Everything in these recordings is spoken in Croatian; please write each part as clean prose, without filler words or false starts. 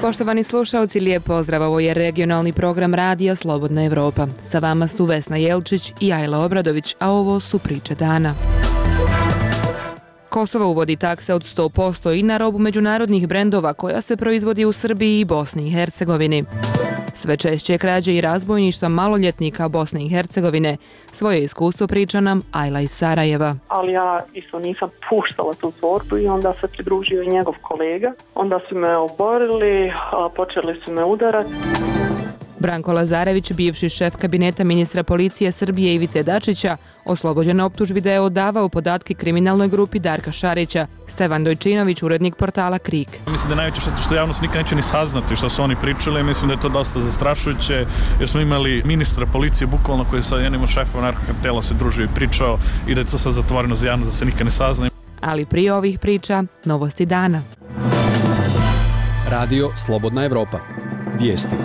Poštovani slušalci, lijep pozdrav, ovo je regionalni program radija Slobodna Evropa. Sa vama su Vesna Jelčić i Ajla Obradović, a ovo su priče dana. Kosovo uvodi takse od 100% i na robu međunarodnih brendova koja se proizvodi u Srbiji i Bosni i Hercegovini. Sve češće krađe i razbojništva maloljetnika Bosne i Hercegovine. Svoje iskustvo priča nam Ajla iz Sarajeva. Ali ja isto nisam puštala tu torbu i onda se pridružio i njegov kolega. Onda su me oborili, počeli su me udarati. Branko Lazarević, bivši šef kabineta ministra policije Srbije Ivice Dačića, oslobođen optužbi da je odavao podatke kriminalnoj grupi Darka Šarića. Stevan Dojčinović, urednik portala Krik. Mislim da je najveće što javnost nikad neće ni saznati što su oni pričali. Mislim da je to dosta zastrašujuće jer smo imali ministra policije bukvalno koji je sa jednim od šefova narkokartela se družio i pričao i da je to sad zatvoreno za javnost da se nikad ne sazna. Ali prije ovih priča, novosti dana. Radio Slobodna Evropa. Vijesti.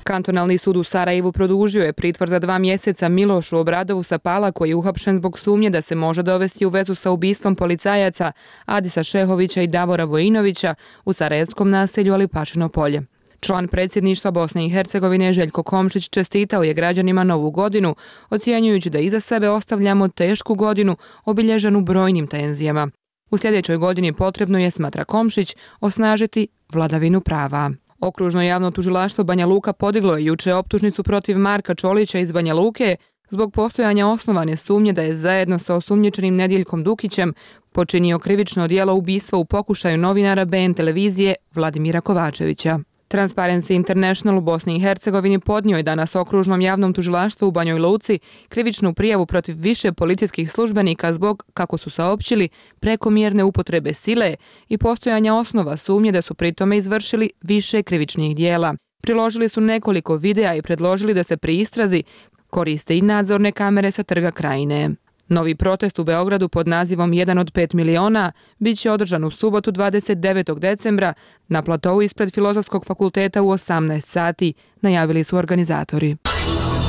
Kantonalni sud u Sarajevu produžio je pritvor za 2 mjeseca Milošu Obradovu Sapala koji je uhapšen zbog sumnje da se može dovesti u vezu sa ubistvom policajaca Adisa Šehovića i Davora Vojinovića u sarajevskom naselju Alipašino polje. Član predsjedništva Bosne i Hercegovine Željko Komšić čestitao je građanima Novu godinu, ocjenjujući da iza sebe ostavljamo tešku godinu obilježenu brojnim tenzijama. U sljedećoj godini potrebno je, smatra Komšić, osnažiti vladavinu prava. Okružno javno tužilaštvo Banja Luka podiglo je juče optužnicu protiv Marka Čolića iz Banja Luke zbog postojanja osnovane sumnje da je zajedno sa osumnjičenim Nediljkom Dukićem počinio krivično djelo ubistva u pokušaju novinara BN televizije Vladimira Kovačevića. Transparency International u Bosni i Hercegovini podnio je danas okružnom javnom tužilaštvu u Banjoj Luci krivičnu prijavu protiv više policijskih službenika zbog, kako su saopćili, prekomjerne upotrebe sile i postojanja osnova sumnje da su pritome izvršili više krivičnih dijela. Priložili su nekoliko videa i predložili da se pri istrazi koriste i nadzorne kamere sa Trga Krajine. Novi protest u Beogradu pod nazivom 1 od 5 miliona bit će održan u subotu 29. decembra na platovu ispred Filozofskog fakulteta u 18 sati, najavili su organizatori.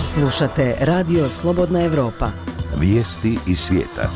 Slušate Radio Slobodna Evropa. Vijesti iz svijeta.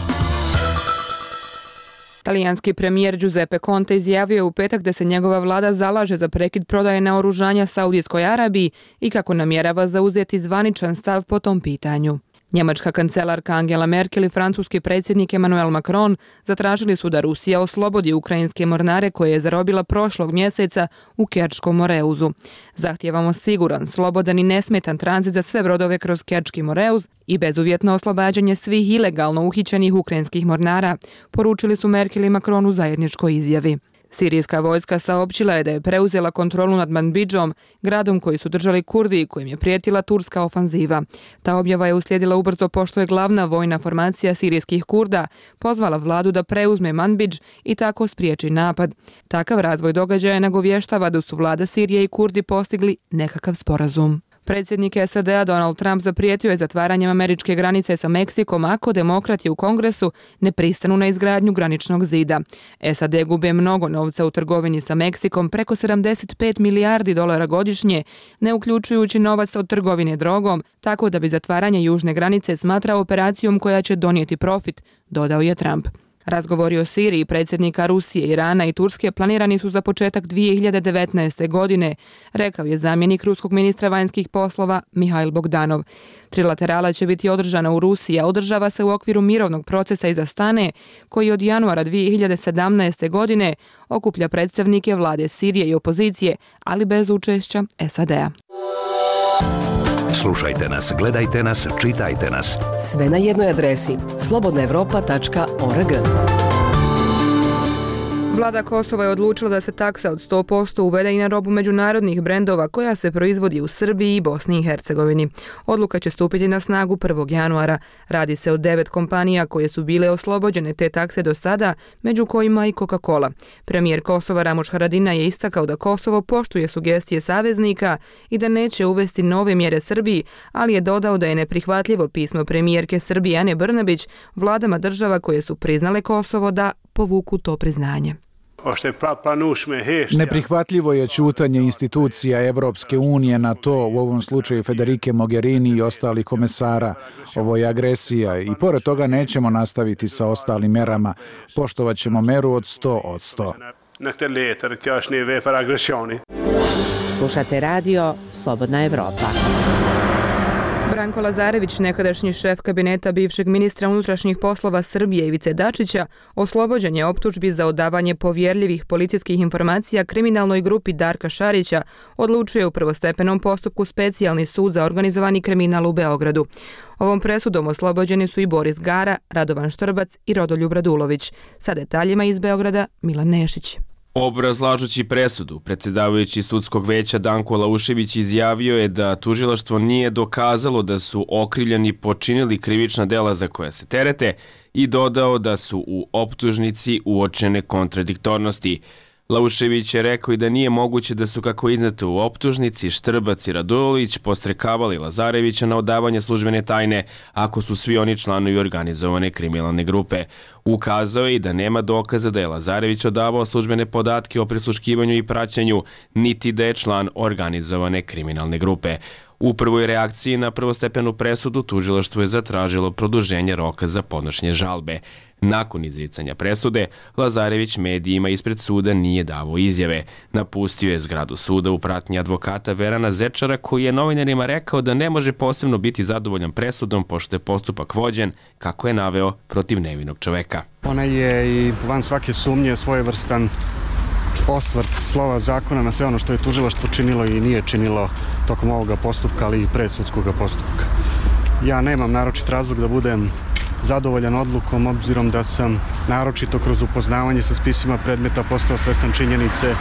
Talijanski premijer Giuseppe Conte izjavio je u petak da se njegova vlada zalaže za prekid prodaje naoružanja Saudijskoj Arabiji i kako namjerava zauzeti zvaničan stav po tom pitanju. Njemačka kancelarka Angela Merkel i francuski predsjednik Emmanuel Macron zatražili su da Rusija oslobodi ukrajinske mornare koje je zarobila prošlog mjeseca u Kerčkom Moreuzu. Zahtijevamo siguran, slobodan i nesmetan tranzit za sve brodove kroz Kerčki Moreuz i bezuvjetno oslobađanje svih ilegalno uhićenih ukrajinskih mornara, poručili su Merkel i Macron u zajedničkoj izjavi. Sirijska vojska saopćila je da je preuzela kontrolu nad Manbidžom, gradom koji su držali Kurdi i kojim je prijetila turska ofanziva. Ta objava je uslijedila ubrzo pošto je glavna vojna formacija sirijskih Kurda pozvala vladu da preuzme Manbidž i tako spriječi napad. Takav razvoj događaja nagovještava da su vlada Sirije i Kurdi postigli nekakav sporazum. Predsjednik SAD-a Donald Trump zaprijetio je zatvaranjem američke granice sa Meksikom ako demokrati u Kongresu ne pristanu na izgradnju graničnog zida. SAD gube mnogo novca u trgovini sa Meksikom, preko 75 milijardi dolara godišnje, ne uključujući novac od trgovine drogom, tako da bi zatvaranje južne granice smatrao operacijom koja će donijeti profit, dodao je Trump. Razgovori o Siriji predsjednika Rusije, Irana i Turske planirani su za početak 2019. godine, rekao je zamjenik ruskog ministra vanjskih poslova Mihail Bogdanov. Trilaterala će biti održana u Rusiji, a održava se u okviru mirovnog procesa iz Astane, koji od januara 2017. godine okuplja predstavnike vlade Sirije i opozicije, ali bez učešća SAD-a. Slušajte nas, gledajte nas, čitajte nas. Sve na jednoj adresi slobodnaevropa.org. Vlada Kosova je odlučila da se taksa od 100% uvede i na robu međunarodnih brendova koja se proizvodi u Srbiji i Bosni i Hercegovini. Odluka će stupiti na snagu 1. januara. Radi se o 9 kompanija koje su bile oslobođene te takse do sada, među kojima i Coca-Cola. Premijer Kosova Ramuš Haradinaj je istakao da Kosovo poštuje sugestije saveznika i da neće uvesti nove mjere Srbiji, ali je dodao da je neprihvatljivo pismo premijerke Srbije Ane Brnabić vladama država koje su priznale Kosovo da povuku to priznanje. Neprihvatljivo je ćutanje institucija Evropske unije na to, u ovom slučaju Federike Mogherini i ostalih komesara. Ovo je agresija i pored toga nećemo nastaviti sa ostalim merama. Poštovat ćemo meru od 100%. nykter letar körs ner för aggressioni. Slušate radio Slobodna Evropa. Branko Lazarević, nekadašnji šef kabineta bivšeg ministra unutrašnjih poslova Srbije Ivice Dačića, oslobođen je optužbi za odavanje povjerljivih policijskih informacija kriminalnoj grupi Darka Šarića, odlučuje u prvostepenom postupku Specijalni sud za organizovani kriminal u Beogradu. Ovom presudom oslobođeni su i Boris Gara, Radovan Štrbac i Rodoljub Radulović. Sa detaljima iz Beograda Milan Nešić. Obrazlažući presudu, predsjedavajući sudskog veća Danko Laušević izjavio je da tužilaštvo nije dokazalo da su okrivljeni počinili krivična dela za koja se terete i dodao da su u optužnici uočene kontradiktornosti. Laušević je rekao i da nije moguće da su, kako izneto u optužnici, Štrbac i Radulović postrekavali Lazarevića na odavanje službene tajne ako su svi oni članovi organizovane kriminalne grupe. Ukazao je i da nema dokaza da je Lazarević odavao službene podatke o prisluškivanju i praćenju, niti da je član organizovane kriminalne grupe. U prvoj reakciji na prvostepenu presudu tužilaštvo je zatražilo produženje roka za podnošenje žalbe. Nakon izricanja presude, Lazarević medijima ispred suda nije davao izjave. Napustio je zgradu suda u pratnji advokata Verana Zečara, koji je novinarima rekao da ne može posebno biti zadovoljan presudom pošto je postupak vođen, kako je naveo, protiv nevinog čoveka. Ona je i van svake sumnje svojevrstan osvrt slova zakona na sve ono što je tužilaštvo činilo i nije činilo tokom ovoga postupka, ali i pre sudskog postupka. Ja nemam naročit razlog da budem zadovoljan odlukom, obzirom da sam naročito kroz upoznavanje sa spisima predmeta postao svestan činjenice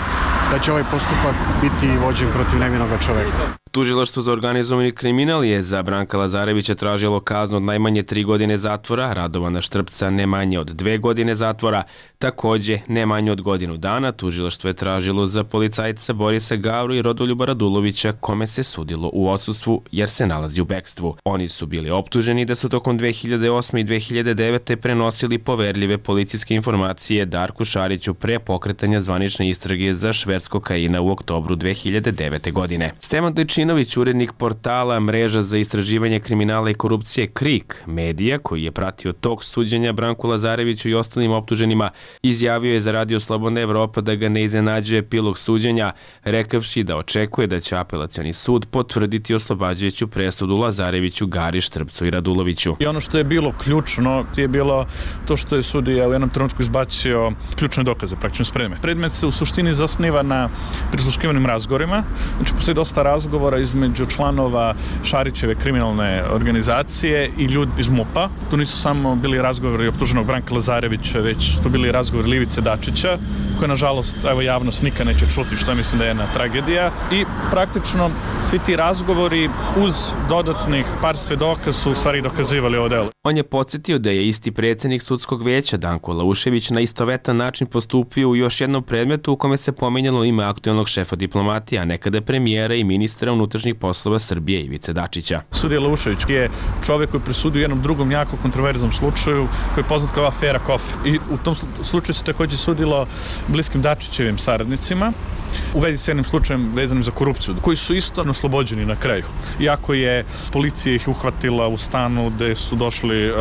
da će ovaj postupak biti vođen protiv nevinog čoveka. Tužilaštvo za organizovani kriminal je za Branka Lazarevića tražilo kaznu od najmanje 3 godine zatvora, Radovana Štrpca ne manje od 2 godine zatvora, takođe ne manje od godinu dana. Tužilaštvo je tražilo za policajca Borisa Gavru i Rodoljuba Radulovića, kome se sudilo u odsustvu jer se nalazi u bekstvu. Oni su bili optuženi da su tokom 2008. i 2009. prenosili poverljive policijske informacije Darku Šariću pre pokretanja zvanične istrage za šverc kokaina u oktobru 2009. godine. Stevan Dojčinović, urednik portala Mreža za istraživanje kriminala i korupcije KRIK medija, koji je pratio tok suđenja Branku Lazareviću i ostalim optuženima, izjavio je za Radio Slobodna Evropa da ga ne iznenađuje epilog suđenja, rekavši da očekuje da će apelacioni sud potvrditi oslobađajuću presudu Lazareviću, Gari, Štrpcu i Raduloviću. I ono što je bilo ključno je bilo to što je sudija u jednom trenutku izbacio ključne dokaze, praktično spreme. Predmet se u suštini zasniva na prisluškivanim razgovorima. Znači, postoji dosta razgovora između članova Šarićeve kriminalne organizacije i ljudi iz MUP-a. Tu nisu samo bili razgovori optuženog Branka Lazarevića, već to bili razgovori Ivice Dačića, koje nažalost javnost nikad neće čuti, što mislim da je jedna tragedija. I praktično svi ti razgovori uz dodatnih par svedoka su u stvari dokazivali ovo delo. On je podsjetio da je isti predsjednik sudskog veća Danko Laušević na istovetan način postupio u još jednom predmetu u kome se pominjalo ime aktuelnog šefa diplomatije, a nekada premijera i ministra unutrašnjih poslova Srbije Ivice Dačića. Sudija Laušević je čovjek koji presudio u jednom drugom jako kontroverznom slučaju koji je poznat kao afera Kofe. I u tom slučaju se također sudilo bliskim Dačićevim saradnicima u vezi s jednim slučajem vezanim za korupciju, koji su isto oslobođeni na kraju. Iako je policija ih uhvatila u stanu gde su došli,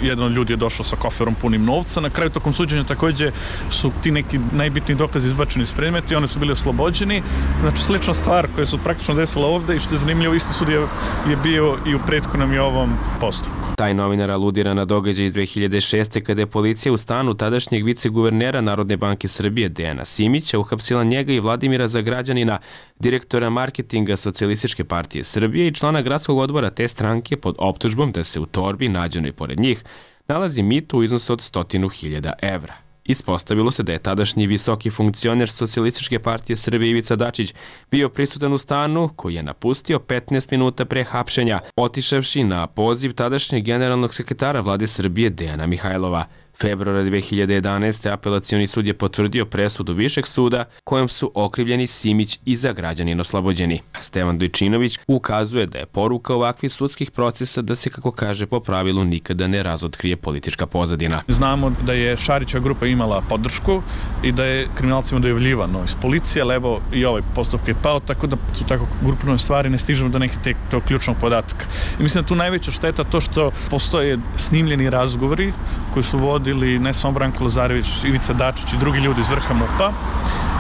jedan od ljudi je došao sa koferom punim novca, na kraju tokom suđenja također su ti neki najbitniji dokazi izbačeni iz predmeta i oni su bili oslobođeni. Znači, slična stvar koja se praktično desila ovde i što je zanimljivo, isti sud je bio i u prethodnom i ovom postupku. Taj novinar aludira na događaj iz 2006. kada je policija u stanu tadašnjeg viceguvernera Narodne banke Srbije Dejana Simića uhapsila njega i Vladimira Zagrađanina, direktora marketinga Socijalističke partije Srbije i člana gradskog odbora te stranke pod optužbom da se u torbi nađenoj pored njih nalazi mito u iznosu od 100.000 evra. Ispostavilo se da je tadašnji visoki funkcioner Socijalističke partije Srbije Ivica Dačić bio prisutan u stanu koji je napustio 15 minuta pre hapšenja, otišavši na poziv tadašnjeg generalnog sekretara vlade Srbije Dejana Mihajlova. Februara 2011. apelacioni sud je potvrdio presudu Višeg suda kojom su okrivljeni Simić i Zagrađanin oslobođeni. Stevan Dojčinović ukazuje da je poruka ovakvih sudskih procesa da se, kako kaže po pravilu, nikada ne razotkrije politička pozadina. Znamo da je Šarićeva grupa imala podršku i da je kriminalcima dojavljivano iz policije, ali evo i ovaj postupak je pao, tako da su tako grupne stvari, ne stižemo do nekih tog ključnog podatka. I mislim da tu najveća šteta to što postoje snimljeni razgovori koji su vodili vodili ne samo Branko Lazarević, Ivica Dačić i drugi ljudi iz vrha MUP-a.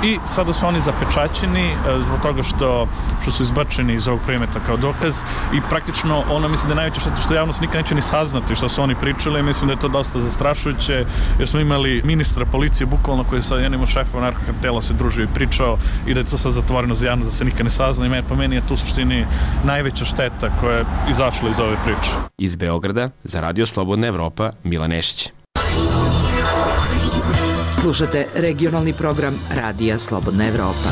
I sada su oni zapečaćeni zbog toga što su izbačeni iz ovog predmeta kao dokaz i praktično ono mislim da je najveće što javnost nikad neće ni saznati što su oni pričali. Mislim da je to dosta zastrašujuće jer smo imali ministra policije bukvalno koji je sa jednim od šefova narkokartela se družio i pričao i da je to sad zatvoreno za javnost da se nikad ne sazna i po meni je to u suštini najveća šteta koja je izašla iz ove priče. Iz Beograda za Radio Slobodna Evropa Milan Nešić. Slušate regionalni program Radija Slobodna Evropa.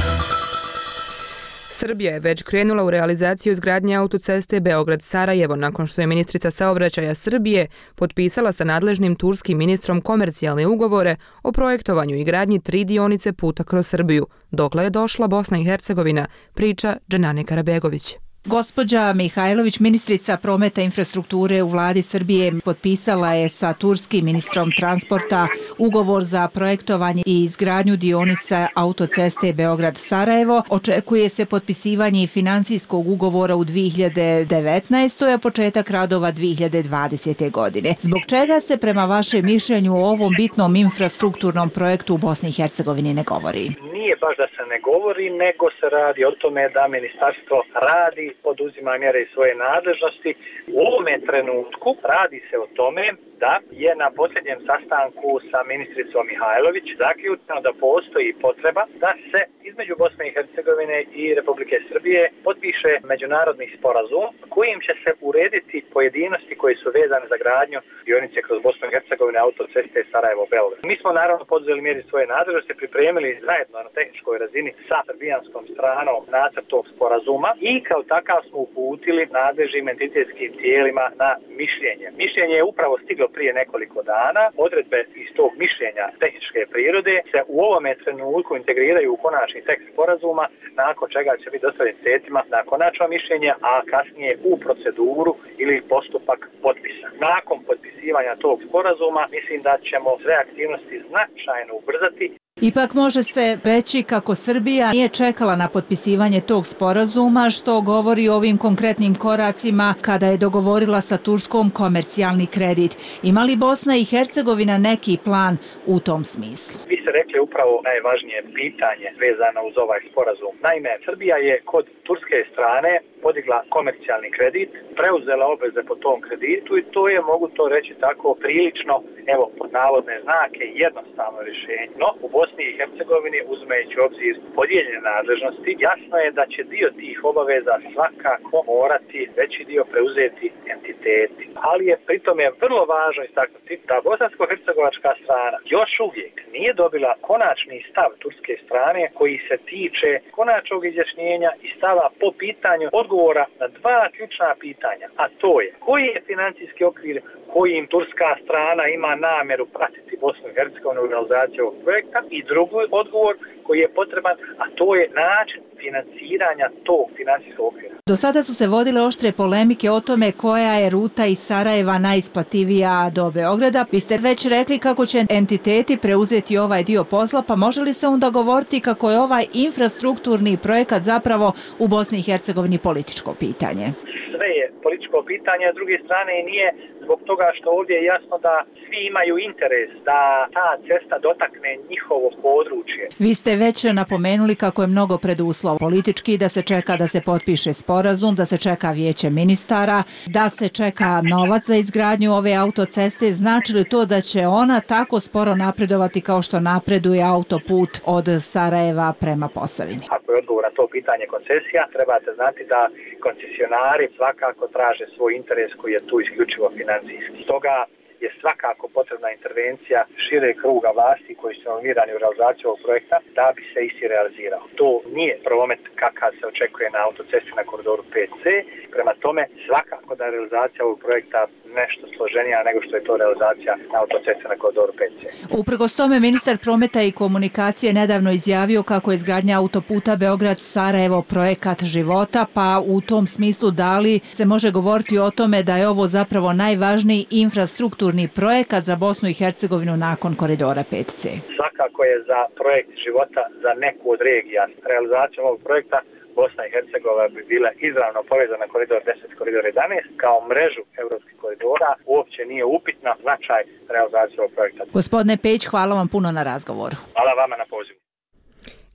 Srbija je već krenula u realizaciju izgradnje autoceste Beograd-Sarajevo nakon što je ministrica saobraćaja Srbije potpisala sa nadležnim turskim ministrom komercijalne ugovore o projektovanju i gradnji 3 dionice puta kroz Srbiju. Dokle je došla Bosna i Hercegovina, priča Dženane Karabegović. Gospođa Mihajlović, ministrica prometa i infrastrukture u vladi Srbije, potpisala je sa turskim ministrom transporta ugovor za projektovanje i izgradnju dionice autoceste Beograd-Sarajevo. Očekuje se potpisivanje financijskog ugovora u 2019. a početak radova 2020. godine. Zbog čega se prema vašem mišljenju o ovom bitnom infrastrukturnom projektu u Bosni i Hercegovini ne govori? Nije baš da se ne govori, nego se radi o tome da ministarstvo radi, poduzima mjere iz svoje nadležnosti. U ovome trenutku radi se o tome da je na posljednjem sastanku sa ministricom Mihajlović zaključeno da postoji potreba da se između Bosne i Hercegovine i Republike Srbije potpiše međunarodni sporazum kojim će se urediti pojedinosti koji su vezane za gradnju dionice kroz Bosnu i Hercegovine autoceste Sarajevo-Beograd. Mi smo naravno poduzeli mjeri svoje nadležnosti, pripremili zajedno na tehničkoj razini sa srbijanskom stranom nacrt tog sporazuma i kao takav smo uputili nadležnim entitetskim tijelima na mišljenje. Mišljenje je upravo stiglo prije nekoliko dana. Odredbe iz tog mišljenja tehničke prirode se u ovome trenutku integriraju u konačni tekst sporazuma, nakon čega će biti dostavljen sredstvima na konačno mišljenje, a kasnije u proceduru ili postupak potpisa. Nakon potpisivanja tog sporazuma mislim da ćemo sve aktivnosti značajno ubrzati. Ipak može se reći kako Srbija nije čekala na potpisivanje tog sporazuma, što govori o ovim konkretnim koracima kada je dogovorila sa Turskom komercijalni kredit. Ima li Bosna i Hercegovina neki plan u tom smislu? Vi ste rekli upravo najvažnije pitanje vezano uz ovaj sporazum. Naime, Srbija je kod turske strane podigla komercijalni kredit, preuzela obveze po tom kreditu i to je, mogu to reći tako, prilično, evo, pod navodne znake, jednostavno rješenje. No, u Bosni i Hercegovini, uzimajući u obzir podijeljene nadležnosti, jasno je da će dio tih obaveza svakako morati veći dio preuzeti entiteti. Ali je pritome vrlo važno istaknuti da bosansko-hercegovačka strana još uvijek nije dobila konačni stav turske strane koji se tiče konačnog izjašnjenja i stava po pitanju odgovora na 2 ključna pitanja, a to je koji je financijski okvir kojim turska strana ima namjeru pratiti Bosnu i Hercegovinu u realizaciju ovog projekta i drugi odgovor koji je potreban, a to je način financiranja tog financijskog okvira. Do sada su se vodile oštre polemike o tome koja je ruta iz Sarajeva najisplativija do Beograda. Vi ste već rekli kako će entiteti preuzeti ovaj dio posla, pa može li se onda govoriti kako je ovaj infrastrukturni projekat zapravo u Bosni i Hercegovini političko pitanje? Sve je političko pitanje, a s druge strane nije zbog toga što ovdje je jasno da svi imaju interes da ta cesta dotakne njihovo područje. Vi ste već napomenuli kako je mnogo preduslov politički, da se čeka da se potpiše sporazum, da se čeka vijeće ministara, da se čeka novac za izgradnju ove autoceste. Znači li to da će ona tako sporo napredovati kao što napreduje autoput od Sarajeva prema Posavini? Ako je odgovor na to pitanje koncesija, trebate znati da koncesionari svakako traže svoj interes koji je tu isključivo financijski. Stoga je svakako potrebna intervencija šire kruga vlasti koji su involvirani u realizaciju ovog projekta da bi se isti realizirao. To nije promet kakav se očekuje na autocesti na koridoru 5C. Prema tome, svakako da je realizacija ovog projekta nešto složenija nego što je to realizacija na autocesti na koridoru 5C. Uprkos tome, ministar prometa i komunikacije nedavno izjavio kako je izgradnja autoputa Beograd-Sarajevo projekat života, pa u tom smislu da li se može govoriti o tome da je ovo zapravo najvažniji infrastrukturni projekat za Bosnu i Hercegovinu nakon koridora 5C? Svakako je za projekt života za neku od regija. Realizacijom ovog projekta Bosna i Hercegovina bi bila izravno povezana koridor 10, koridor 11 kao mrežu evropskih koridora, uopće nije upitna značaj realizacije ovog projekta. Gospodine Peć, hvala vam puno na razgovoru. Hvala vama na pozivu.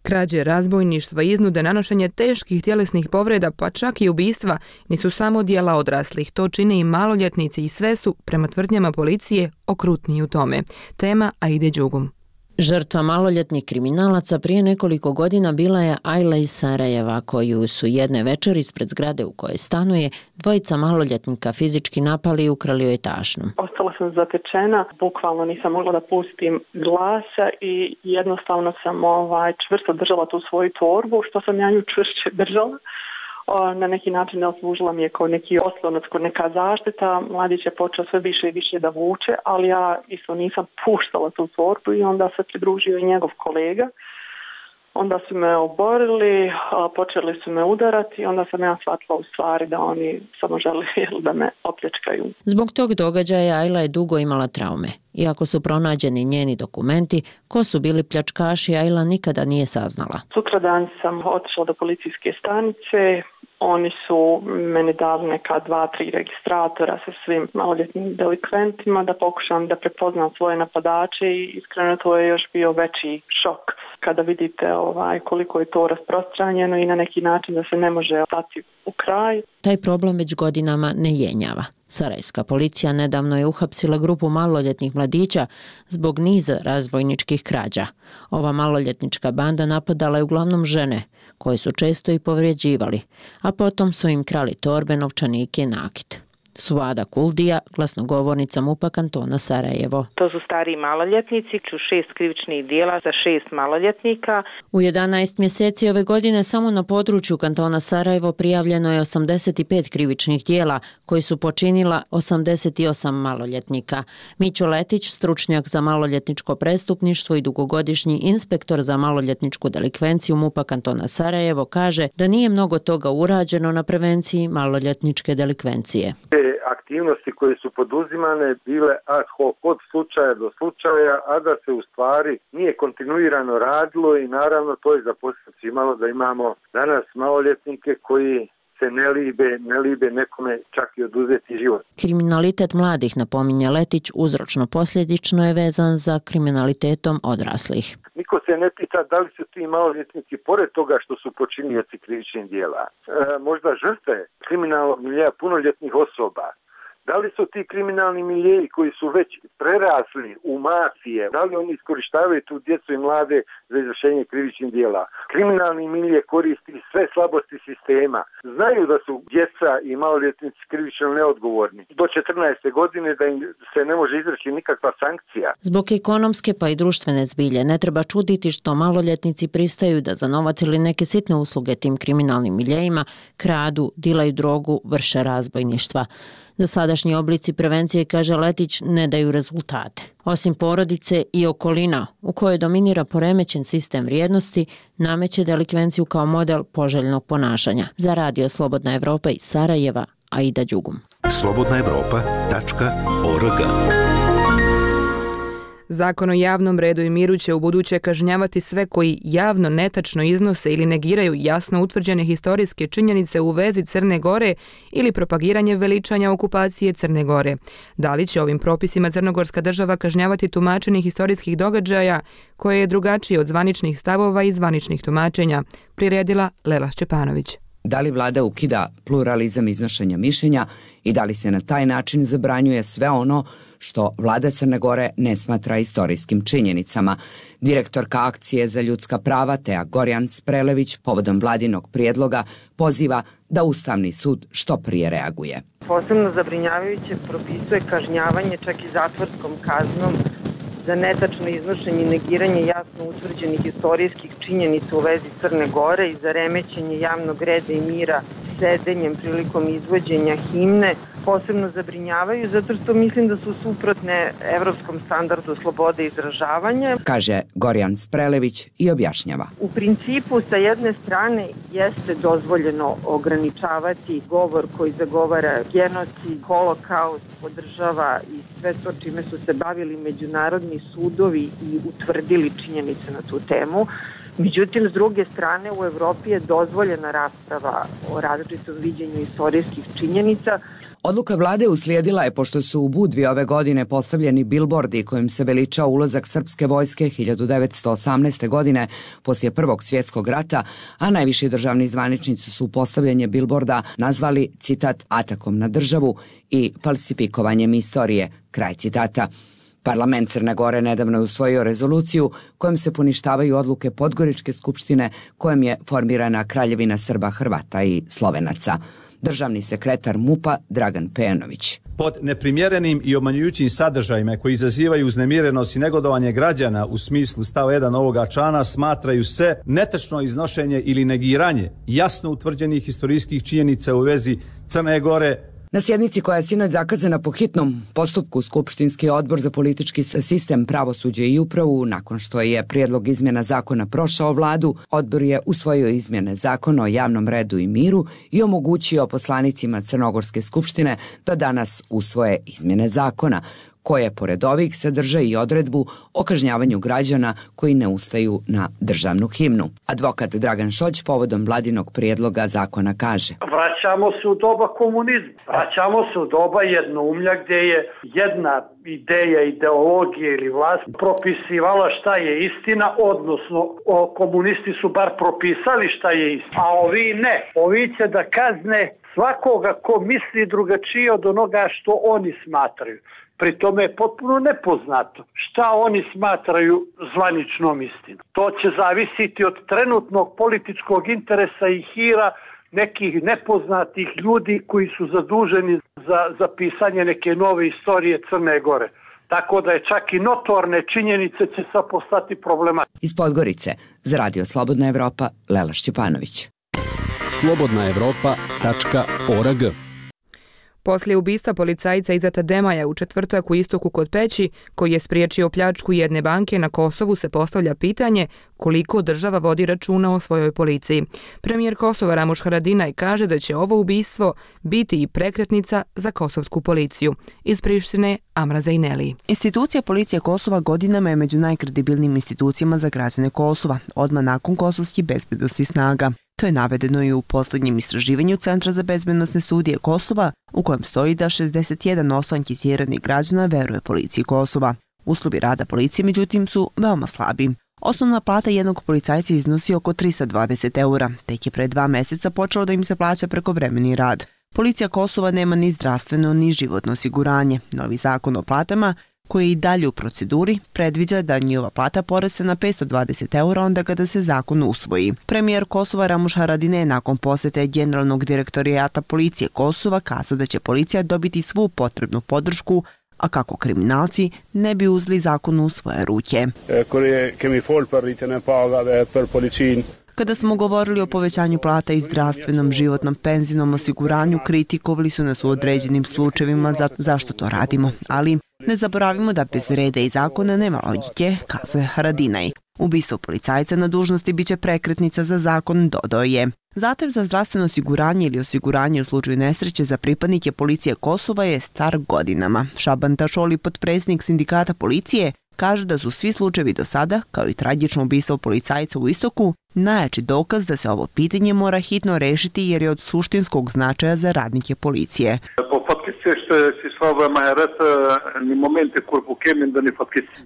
Krađe, razbojništva, iznude, nanošenje teških tjelesnih povreda, pa čak i ubistva, nisu samo djela odraslih. To čine i maloljetnici i sve su, prema tvrdnjama policije, okrutniji u tome. Tema Aide Đugum. Žrtva maloljetnih kriminalaca prije nekoliko godina bila je Ajla iz Sarajeva, koju su jedne večeri ispred zgrade u kojoj stanuje dvojica maloljetnika fizički napali i ukrali joj tašnu. Ostala sam zatečena, bukvalno nisam mogla da pustim glasa i jednostavno sam čvrsto držala tu svoju torbu, što sam ja nju čvršće držala. Na neki način ne oslužila mi je kao neki oslonac, kao neka zaštita. Mladić je počeo sve više i više da vuče, ali ja isto nisam puštala tu torbu i onda se pridružio i njegov kolega. Onda su me oborili, počeli su me udarati i onda sam ja shvatila u stvari da oni samo žele da me opljačkaju. Zbog tog događaja Ajla je dugo imala traume. Iako su pronađeni njeni dokumenti, ko su bili pljačkaši, Ajla nikada nije saznala. Sutradan sam otišla do policijske stanice. Oni su meni dali neka 2-3 registratora sa svim maloljetnim delikventima da pokušam da prepoznam svoje napadače i iskreno to je još bio veći šok kada vidite koliko je to rasprostranjeno i na neki način da se ne može stati u kraj. Taj problem već godinama ne jenjava. Sarajevska policija nedavno je uhapsila grupu maloljetnih mladića zbog niza razbojničkih krađa. Ova maloljetnička banda napadala je uglavnom žene, koje su često i povrijeđivali, a potom su im krali torbe, novčanike i nakit. Suada Kuldija, glasnogovornica MUP-a kantona Sarajevo. To su stariji maloljetnici, 6 krivičnih dijela za 6 maloljetnika. U 11 mjeseci ove godine samo na području kantona Sarajevo prijavljeno je 85 krivičnih dijela koji su počinila 88 maloljetnika. Mićo Letić, stručnjak za maloljetničko prestupništvo i dugogodišnji inspektor za maloljetničku delikvenciju MUP-a kantona Sarajevo, kaže da nije mnogo toga urađeno na prevenciji maloljetničke delikvencije. Aktivnosti koje su poduzimane bile ad hoc od slučaja do slučaja, a da se u stvari nije kontinuirano radilo i naravno to je za posljedicu imalo da imamo danas maloljetnike koji se ne libe nekome čak i oduzeti život. Kriminalitet mladih, napominje Letić, uzročno-posljedično je vezan za kriminalitetom odraslih. Niko se ne pita da li su ti maloljetnici, pored toga što su počinioci krivičnih djela, možda žrtve kriminalnog miljeja punoljetnih osoba. Da li su ti kriminalni miljeji koji su već prerasli u mafije, da li oni iskorištavaju tu djecu i mlade za izvršenje krivičnih djela? Kriminalni milje koristi sve slabosti sistema. Znaju da su djeca i maloljetnici krivično neodgovorni. Do 14. godine da im se ne može izreći nikakva sankcija. Zbog ekonomske pa i društvene zbilje ne treba čuditi što maloljetnici pristaju da za novac ili neke sitne usluge tim kriminalnim miljejima kradu, dilaju drogu, vrše razbojništva. Dosadašnji oblici prevencije, kaže Letić, ne daju rezultate. Osim porodice i okolina u kojoj dominira poremećen sistem vrijednosti, nameće delikvenciju kao model poželjnog ponašanja. Za Radio Slobodna Evropa iz Sarajeva, Aida Đugum. slobodnaevropa.org. Zakon o javnom redu i miru će ubuduće kažnjavati sve koji javno netačno iznose ili negiraju jasno utvrđene historijske činjenice u vezi Crne Gore ili propagiranje veličanja okupacije Crne Gore. Da li će ovim propisima crnogorska država kažnjavati tumačenje historijskih događaja koje je drugačije od zvaničnih stavova i zvaničnih tumačenja, priredila Lela Šćepanović. Da li vlada ukida pluralizam iznošenja mišljenja i da li se na taj način zabranjuje sve ono što vlada Crne Gore ne smatra istorijskim činjenicama? Direktorka akcije za ljudska prava Teja Gorjan-Sprelević povodom vladinog prijedloga poziva da Ustavni sud što prije reaguje. Posebno zabrinjavajuće propisuje kažnjavanje čak i zatvorskom kaznom za netačno iznošenje i negiranje jasno utvrđenih istorijskih činjenica u vezi Crne Gore i za remećenje javnog reda i mira sedenjem prilikom izvođenja himne. Posebno zabrinjavaju zato što mislim da su suprotne evropskom standardu slobode izražavanja. Kaže Gorjan Sprelević i objašnjava. U principu sa jedne strane jeste dozvoljeno ograničavati govor koji zagovara genocid, holokaust, podržava i sve to čime su se bavili međunarodni sudovi i utvrdili činjenice na tu temu. Međutim, s druge strane, u Evropi je dozvoljena rasprava o različitom viđenju istorijskih činjenica. Odluka vlade uslijedila je pošto su u Budvi ove godine postavljeni bilbordi kojim se veliča ulazak srpske vojske 1918. godine poslije Prvog svjetskog rata, a najviši državni zvaničnici su postavljanje bilborda nazvali, citat, atakom na državu i falsifikovanjem istorije, kraj citata. Parlament Crne Gore nedavno je usvojio rezoluciju kojom se poništavaju odluke Podgoričke skupštine kojom je formirana Kraljevina Srba, Hrvata i Slovenaca. Državni sekretar MUP-a Dragan Pejanović. Pod neprimjerenim i obmanjujućim sadržajima koji izazivaju uznemirenost i negodovanje građana u smislu stava 1 ovoga člana smatraju se netačno iznošenje ili negiranje jasno utvrđenih historijskih činjenica u vezi Crne Gore. Na sjednici koja je sinoć zakazana po hitnom postupku, Skupštinski odbor za politički sistem, pravosuđe i upravu, nakon što je prijedlog izmjena zakona prošao vladu, odbor je usvojio izmjene zakona o javnom redu i miru i omogućio poslanicima Crnogorske skupštine da danas usvoje izmjene zakona, koje pored ovih sadrže i odredbu o kažnjavanju građana koji ne ustaju na državnu himnu. Advokat Dragan Šoć povodom vladinog prijedloga zakona kaže: Vraćamo se u doba komunizma, vraćamo se u doba jednoumlja gdje je jedna ideja, ideologija ili vlast propisivala šta je istina, odnosno komunisti su bar propisali šta je istina, a ovi ne. Ovi će da kazne svakoga ko misli drugačije od onoga što oni smatraju. Pri tome je potpuno nepoznato šta oni smatraju zvaničnom istinom. To će zavisiti od trenutnog političkog interesa i hira nekih nepoznatih ljudi koji su zaduženi za pisanje neke nove istorije Crne Gore. Tako da je čak i notorne činjenice će sad postati problematične. Iz Podgorice, za Radio Slobodna Evropa, Lela Šćepanović. slobodnaevropa.org. Poslije ubistva policajca Izeta Demaja u četvrtak u Istoku kod Peći, koji je spriječio pljačku jedne banke na Kosovu, se postavlja pitanje koliko država vodi računa o svojoj policiji. Premijer Kosova Ramuš Haradinaj kaže da će ovo ubistvo biti i prekretnica za kosovsku policiju. Iz Prištine, Amra Zajneli. Institucija policije Kosova godinama je među najkredibilnijim institucijama za građane Kosova, odmah nakon kosovskih bezbednosnih snaga. To je navedeno i u posljednjem istraživanju Centra za bezbednosne studije Kosova, u kojem stoji da 61% anketiranih građana veruje policiji Kosova. Uslovi rada policije, međutim, su veoma slabi. Osnovna plata jednog policajca iznosi oko 320 eura, tek je pre 2 mjeseca počelo da im se plaća prekovremeni rad. Policija Kosova nema ni zdravstveno ni životno osiguranje. Novi zakon o platama, koji je i dalje u proceduri, predviđa da njihova plata poraste na 520 eura onda kada se zakon usvoji. Premijer Kosova Ramuš Haradinaj nakon posjete generalnog direktorijata policije Kosova kazao da će policija dobiti svu potrebnu podršku, a kako kriminalci ne bi uzeli zakon u svoje ruke. Kada smo govorili o povećanju plata i zdravstvenom, životnom, penzijnom osiguranju, kritikovali su nas u određenim slučajevima zašto to radimo, ali ne zaboravimo da bez reda i zakona nema logike, kazuje Haradinaj. Ubistvo policajca na dužnosti biće prekretnica za zakon, dodao je. Zahtev za zdravstveno osiguranje ili osiguranje u slučaju nesreće za pripadnike policije Kosova je star godinama. Šaban Tašoli, potpredsjednik sindikata policije, kaže da su svi slučajevi do sada, kao i tragično ubistvo policajca u Istoku, najjači dokaz da se ovo pitanje mora hitno rešiti jer je od suštinskog značaja za radnike policije.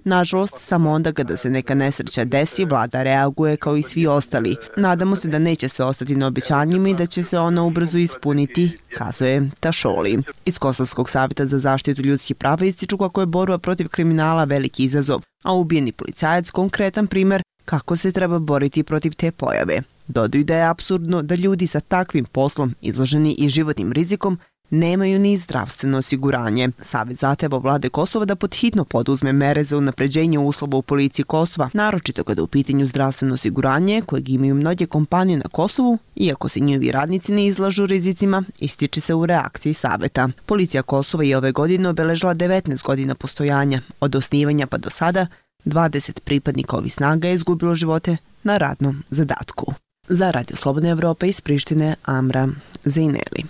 Nažalost, samo onda kada se neka nesreća desi, vlada reaguje kao i svi ostali. Nadamo se da neće sve ostati na obećanjima i da će se ona ubrzo ispuniti, kazuje Tašoli. Iz Kosovskog savjeta za zaštitu ljudskih prava ističu kako je borba protiv kriminala veliki izazov, a ubijeni policajac konkretan primer kako se treba boriti protiv te pojave. Dodaju da je apsurdno da ljudi sa takvim poslom, izloženi i životnim rizikom, nemaju ni zdravstveno osiguranje. Savjet zahteva vlade Kosova da podhitno poduzme mere za unapređenje uslova u policiji Kosova, naročito kada u pitanju zdravstveno osiguranje, kojeg imaju mnoge kompanije na Kosovu, iako se njihovi radnici ne izlažu rizicima, ističe se u reakciji savjeta. Policija Kosova je ove godine obeležila 19 godina postojanja. Od osnivanja pa do sada, 20 pripadnika ovih snaga je izgubilo živote na radnom zadatku. Za Radio Slobodna Evropa iz Prištine, Amra Zajneli.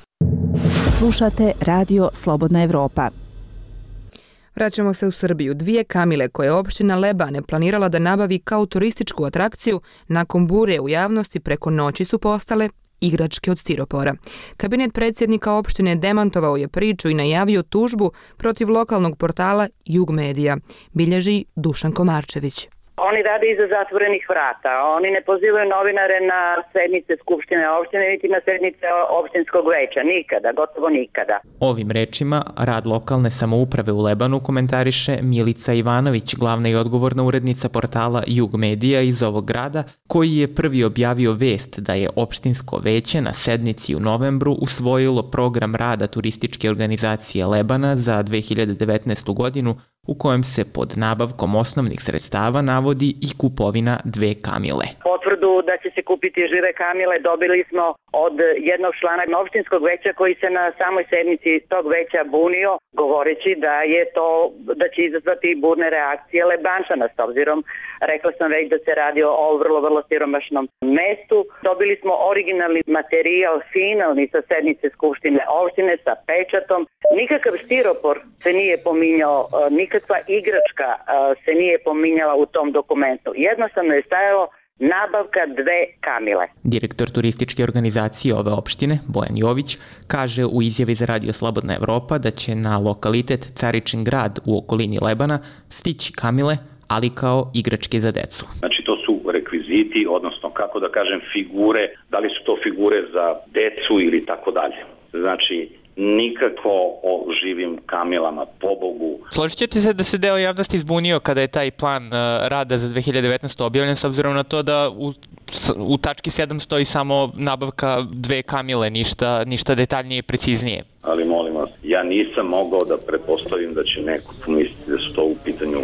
Slušate Radio Slobodna Evropa. Vraćamo se u Srbiju. 2 kamile koje je opština Lebane planirala da nabavi kao turističku atrakciju, nakon bure u javnosti preko noći su postale igračke od stiropora. Kabinet predsjednika opštine demantovao je priču i najavio tužbu protiv lokalnog portala Jug Medija, bilježi Dušan Komarčević. Oni rade iza zatvorenih vrata. Oni ne pozivaju novinare na sednice Skupštine opštine, niti na sednice opštinskog veća. Nikada, gotovo nikada. Ovim rečima rad lokalne samouprave u Lebanu komentariše Milica Ivanović, glavna i odgovorna urednica portala Jug Medija iz ovog grada, koji je prvi objavio vest da je opštinsko veće na sednici u novembru usvojilo program rada turističke organizacije Lebana za 2019. godinu, u kojem se pod nabavkom osnovnih sredstava navodi i kupovina 2 kamile. Potvrdu da će se kupiti žive kamile dobili smo od jednog člana opštinskog veća koji se na samoj sednici tog veća bunio, govoreći da će izazvati burne reakcije Lebančana, s obzirom, rekla sam već da se radi o vrlo siromašnom mestu. Dobili smo originalni materijal, finalni sa sednice Skupštine opštine sa pečatom. Nikakav stiropor se nije pominjao, nikakva igračka se nije pominjala u tom dokumentu. Jednostavno je stajalo nabavka 2 kamile. Direktor turističke organizacije ove opštine, Bojan Jović, kaže u izjavi za Radio Slobodna Evropa da će na lokalitet Caričin grad u okolini Lebana stići kamile, ali kao igračke za decu. Znači to su rekviziti, odnosno kako da kažem figure, da li su to figure za decu ili tako dalje. Znači nikako o živim kamilama, pobogu. Složit ćete se da se deo javnosti izbunio kada je taj plan rada za 2019. objavljen, s obzirom na to da u tački 7 stoji samo nabavka 2 kamile, ništa detaljnije i preciznije. Ali molim vas, ja nisam mogao da pretpostavim da će neko pomisliti da su to u pitanju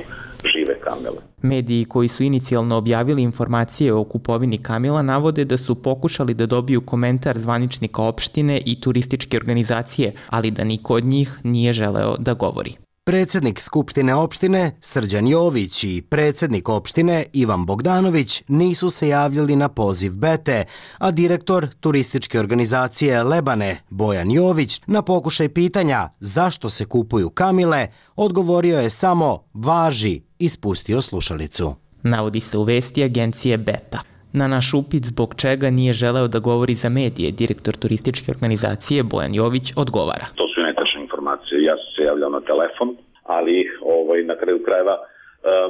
žive kamile. Mediji koji su inicijalno objavili informacije o kupovini kamila navode da su pokušali da dobiju komentar zvaničnika opštine i turističke organizacije, ali da niko od njih nije želeo da govori. Predsjednik Skupštine opštine Srđan Jović i predsjednik opštine Ivan Bogdanović nisu se javljali na poziv Bete, a direktor turističke organizacije Lebane Bojan Jović na pokušaj pitanja zašto se kupuju kamile odgovorio je samo važi i spustio slušalicu. Navodi se u vesti agencije Beta. Na naš upit zbog čega nije želeo da govori za medije, direktor turističke organizacije Bojan Jović odgovara. To su netačne informacije. Ja sam se javljao na telefon, ali na kraju krajeva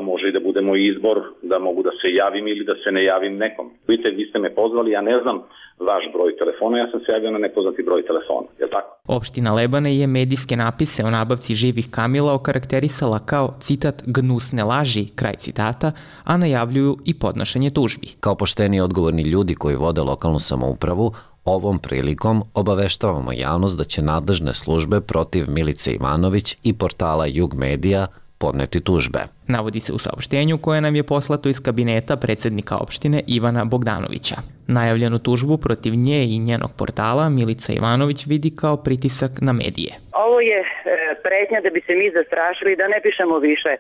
može i da bude moj izbor da mogu da se javim ili da se ne javim nekom. Vidite, vi ste me pozvali, ja ne znam vaš broj telefona, ja sam se javio na nepoznati broj telefona, je tako? Opština Lebane je medijske napise o nabavci živih kamila okarakterisala kao, citat, gnusne laži, kraj citata, a najavljuju i podnošenje tužbi. Kao pošteni odgovorni ljudi koji vode lokalnu samoupravu, ovom prilikom obaveštavamo javnost da će nadležne službe protiv Milice Ivanović i portala Jug Medija podneti tužbe. Navodi se u saopštenju koje nam je poslato iz kabineta predsjednika opštine Ivana Bogdanovića. Najavljenu tužbu protiv nje i njenog portala Milica Ivanović vidi kao pritisak na medije. Ovo je pretnja da bi se mi zastrašili da ne pišemo više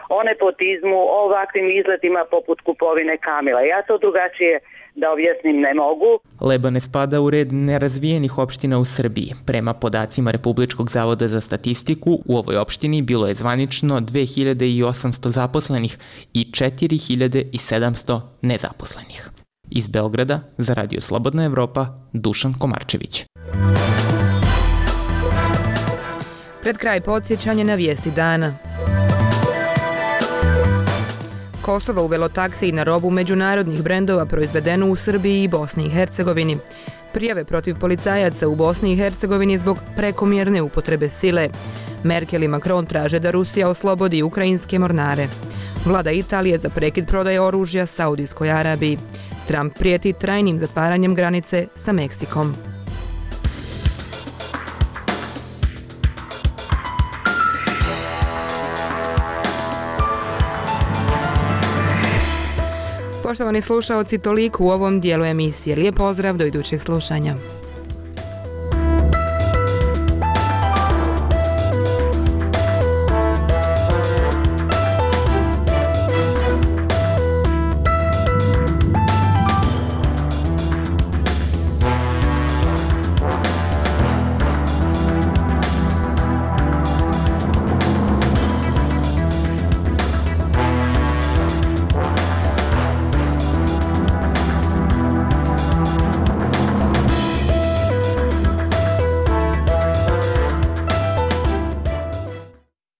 o nepotizmu, o ovakvim izletima poput kupovine kamila. Ja to drugačije da objasnim ne mogu. Lebane spada u red nerazvijenih opština u Srbiji. Prema podacima Republičkog zavoda za statistiku, u ovoj opštini bilo je zvanično 2800 zaposlenih i 4700 nezaposlenih. Iz Beograda, za Radio Slobodna Evropa, Dušan Komarčević. Pred kraj podsjećanje na vijesti dana. Kosovo uvelo taksiji na robu međunarodnih brendova proizvedenu u Srbiji i Bosni i Hercegovini. Prijave protiv policajaca u Bosni i Hercegovini zbog prekomjerne upotrebe sile. Merkel i Macron traže da Rusija oslobodi ukrajinske mornare. Vlada Italije za prekid prodaje oružja Saudijskoj Arabiji. Trump prijeti trajnim zatvaranjem granice sa Meksikom. Poštovani slušaoci, toliko u ovom dijelu emisije. Lijep pozdrav, do idućeg slušanja.